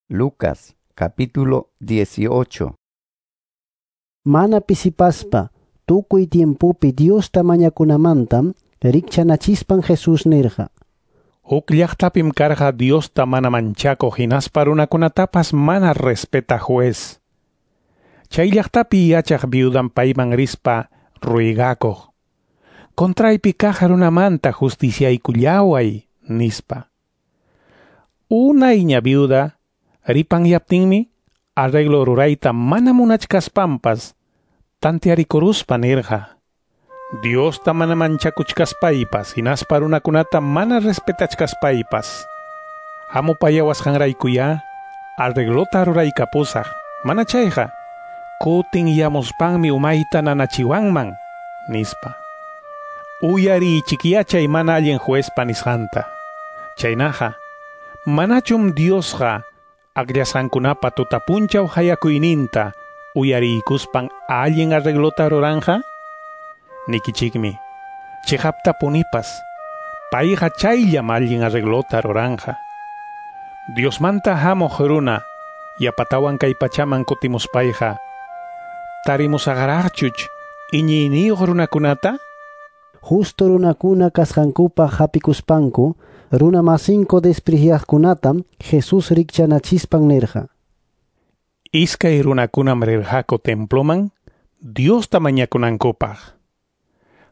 Lucas capítulo 18. Mana pisipaspa tukuy tiempopi Diosta mañakunamantam rikchanachispan Jesús nirqa. Huk llaqtapim karqa Diosta mana manchakuq hinaspa runakunatapas mana respetaq juez. Chay llaqtapi yachaq viudan payman rispa ruegakuq. Contraypi kaq runamanta justiciaykullaway nispa. Unayña viuda ripanyaptinmi arreglo rurayta mana munachkaspampas tantearikuruspa nirqa. Diosta mana manchakuchkaspaypas hinaspa runakunata mana respetachkaspaypas. Hamupayawasqanraykuyá arreglota ruraykapusaq, mana chayqa kutin yamuspanmi umayta nanachiwanman, nispa. Uyariychikyá chay mana allin juezpa nisqanta. Chaynaqa, manachum Diosqa akllasqankunapa tutapunchaw hayakuyninta uyariykuspan allin arreglota ruranja? Nikichikmi, chiqaptapunipas, payqa chayllam allin arreglota ruranja. Diosmanta hamuq runa yapatawan kay pachaman kutimuspayqa, tarimusaqraqchuch iñiyniyuq runakunata? Justo runakuna kasqankupaq hapikuspanku, runa masinku despreciaqkunatam Jesús rikchanachispan nirqa. Iskay runakunam rirqaku temploman Diosta mañakunankupaq.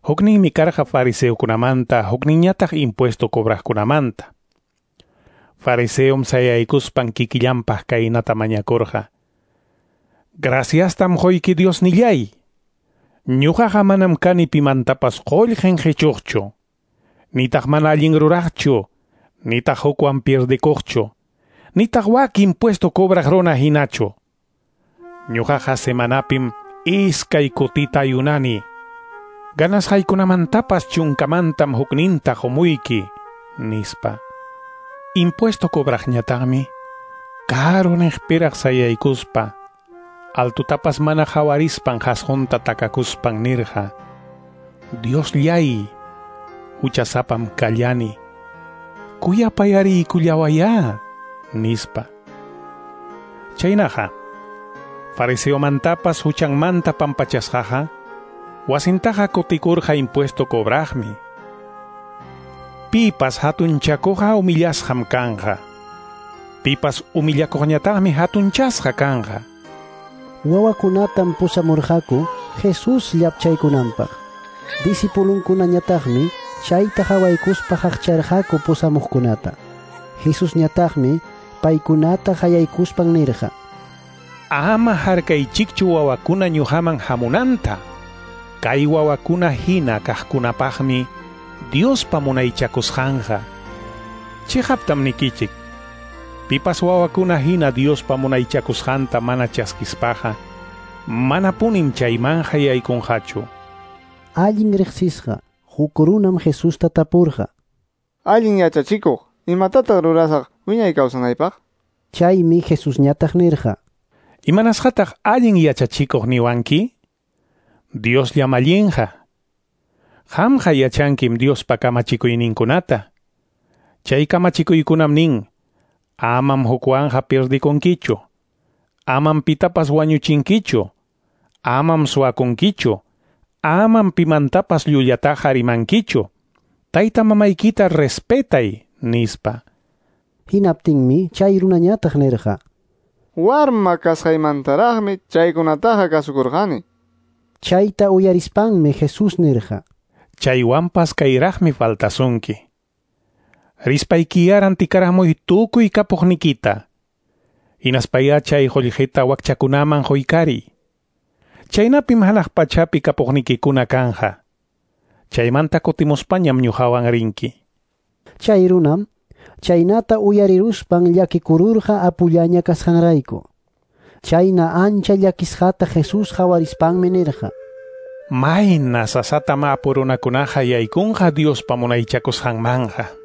Hukninmi karqa fariseokunamanta, hukninñataq impuesto cobraqkunamanta. Fariseom sayaykuspan kikillanpaq kaynata mañakurqa. Graciastam quyki Diosnillay. Ñuqaqa manam kani pimantapas qullqin qichuqchu, nitaq mana allin ruraqchu, nitaq hukwan pierdikuqchu, nitaq wak impuesto cobraq runa hinachu. Ñuqaqa semanapim iskay kutita ayunani. Ganasqaykunamantapas chunkamantam hukninta qumuyki, nispa. Impuesto cobraqñataqmi karu niqpiraq sayaykuspa, altutapas mana hawarispan qasqunta takakuspan nirqa. Diosllay, huchasapam kallani, kuyapayariykullawayá, nispa. Chaynaqa, fariseomantapas huchanmanta pampachasqaqa, wasintaqa kutikurqa impuesto cobraqmi. Pipas hatunchakuqqa humillasqam kanqa. Pipas humillakuqñataqmi hatunchasqa kanqa. Wawakunatam pusamurqaku Jesús llapchaykunanpaq. Discipulunkunañataqmi chayta hawaykuspa haqcharqaku pusamuqkunata. Jesusñataqmi paykunata hayaykuspan nirqa. Ama harkaychikchu wawakuna ñuqaman hamunanta. Kay wawakuna hina kaqkunapaqmi Diospa munaychakusqanqa. Chiqaptam nikichik. Pipas wawakuna hina Diospa munaychakusqanta mana chaskispaqa, manapunim chaymanqa yaykunqachu. Allin riqsisqa huk runam Jesusta tapurqa. Allin yachachikuq, imatataq rurasaq wiñay kawsanaypaq? Chaymi Jesusñataq nirqa. Imanasqataq allin yachachikuq niwanki? Diosllam allinqa. Qamqa yachankim Diospa kamachikuyninkunata. Chay kamachikuykunam nin, amam hukwanqa pirdikunkichu, amam pitapas wañuchinkichu, amam suwakunkichu, amam pimantapas llullataqa rimankichu, tayta mamaykita respetay, nispa. Hinaptinmi chay runañataq nirqa. Warma kasqaymantaraqmi chaykunataqa kasukurqani. Chayta uyarispanmi Jesús nirqa. Chaywanpas kayraqmi faltasunki. Rispaykiya rantikaramuy tukuy kapuqnikita. Hinaspayá chay qullqita wakchakunaman quykariy. Chaynapim hanaq pachapi kapuqnikikuna kanja. Chaymanta kutimuspañam ñuqawan rinki. Chay runam chaynata uyariruspan llakikururqa apullaña kasqanrayku. Chayna ancha llakisqata Jesús hawarispanmi nirqa. Mayna sasatam apu runakunaqa yaykunqa Diospa munaychakusqanmanqa.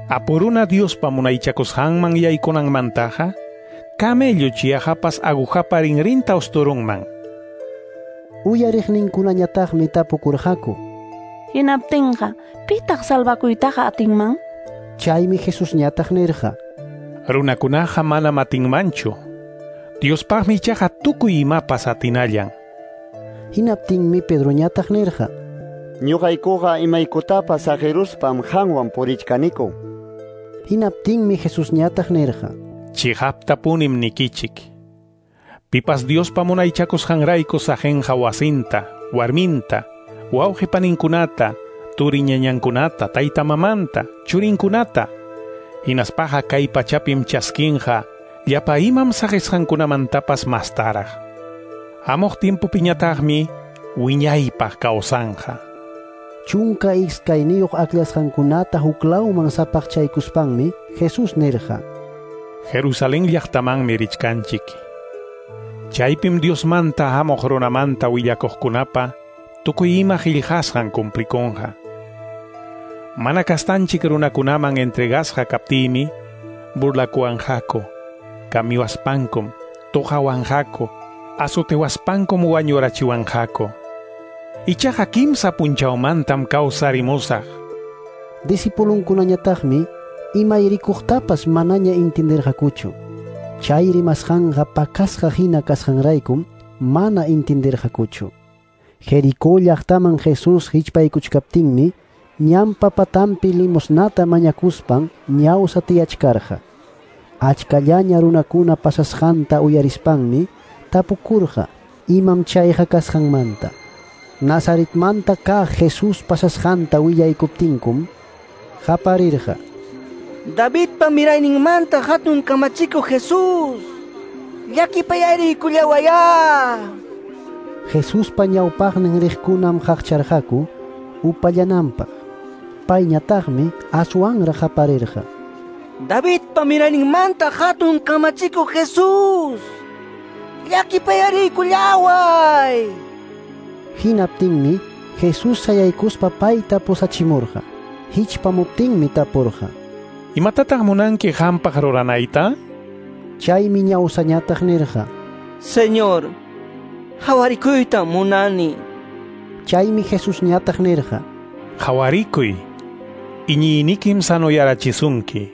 Apu runa Diospa munaychakusqanman yaykunanmantaqa, camello chiyahapas agujapa rinrinta usturunman. Uyariqninkunañataqmi tapukurqaku. Hinaptinqa, pitaq salvakuytaqa atinman? Chaymi Jesusñataq nirqa. Runakunaqa manam atinmanchu. Diospaqmi ichaqa tukuy imapas atinallan. Hinaptinmi Pedroñataq nirqa: Ñuqaykuqa imaykutapas saqiruspam qanwan purichkaniku. Hinaptinmi Jesusñataq nirqa: Chiqaptapunim nikichik. Pipas Diospa munaychakusqanrayku saqinqa wasinta, warminta, wawqi paninkunata, turiñañankunata, tayta mamanta, churinkunata, hinaspaqa kay pachapim chaskinqa llapa imam saqisqankunamantapas mastaraq. Hamuq timpupiñataqmi wiñaypaq kawsanqa. 12 aklasqankunata huklawman sapaqchaykuspanmi Jesús nirqa: Jerusalén llaqtamanmi richkanchik. Chaypim Diosmanta hamuq runamanta willakuqkunapa tukuy ima qillqasqan cumplikunqa. Mana kastanchik runakunaman entregasqa kaptiymi burlakuwanqaku, kamiwaspankum, tuqawanqaku, azotewaspankum wañurachiwanqaku. Ichaqa kimsa punchawmantam kawsarimusaq. Discipulunkunañataqmi imayrikuqtapas manaña intindirqakuchu. Chay rimasqanqa pakasqa hina kasqanraykum mana intindirqakuchu. Jericó llaqtaman Jesús hichpaykuchkaptinmi ñanpa patanpi limosnata mañakuspan ñawsa tiyachkarqa. Achkallaña runakuna pasasqanta uyarispanmi tapukurqa imam chayqa kasqanmanta. Nazaretmanta kaq Jesús pasasqanta willaykuptinkum qaparirqa: Davidpa mirayninmanta hatun kamachikuq Jesús, llakipayariykullawayá. Jesuspa ñawpaqnin riqkunam qaqcharqaku upallananpaq. Payñataqmi aswanraq qaparirqa: Davidpa mirayninmanta hatun kamachikuq Jesús, llakipayariykullaway. Hinaptinmi Jesús sayaykuspa payta pusachimurqa. Hichpamuptinmi tapurqa: Imatataq munanki qampaq ruranayta? Chaymi ñawsañataq nirqa: Señor, hawarikuyta munani. Chaymi Jesusñataq nirqa: Hawarikuy, iñiynikim sanoyarachisunki.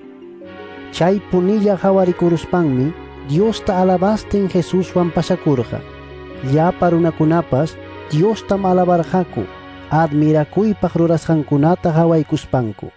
Chay punilla hawarikuruspanmi Diosta alabastin Jesuswan pasakurqa. Llapa runakunapas Diostam alabarqaku, admirakuypaq rurasqankunata hawaykuspanku.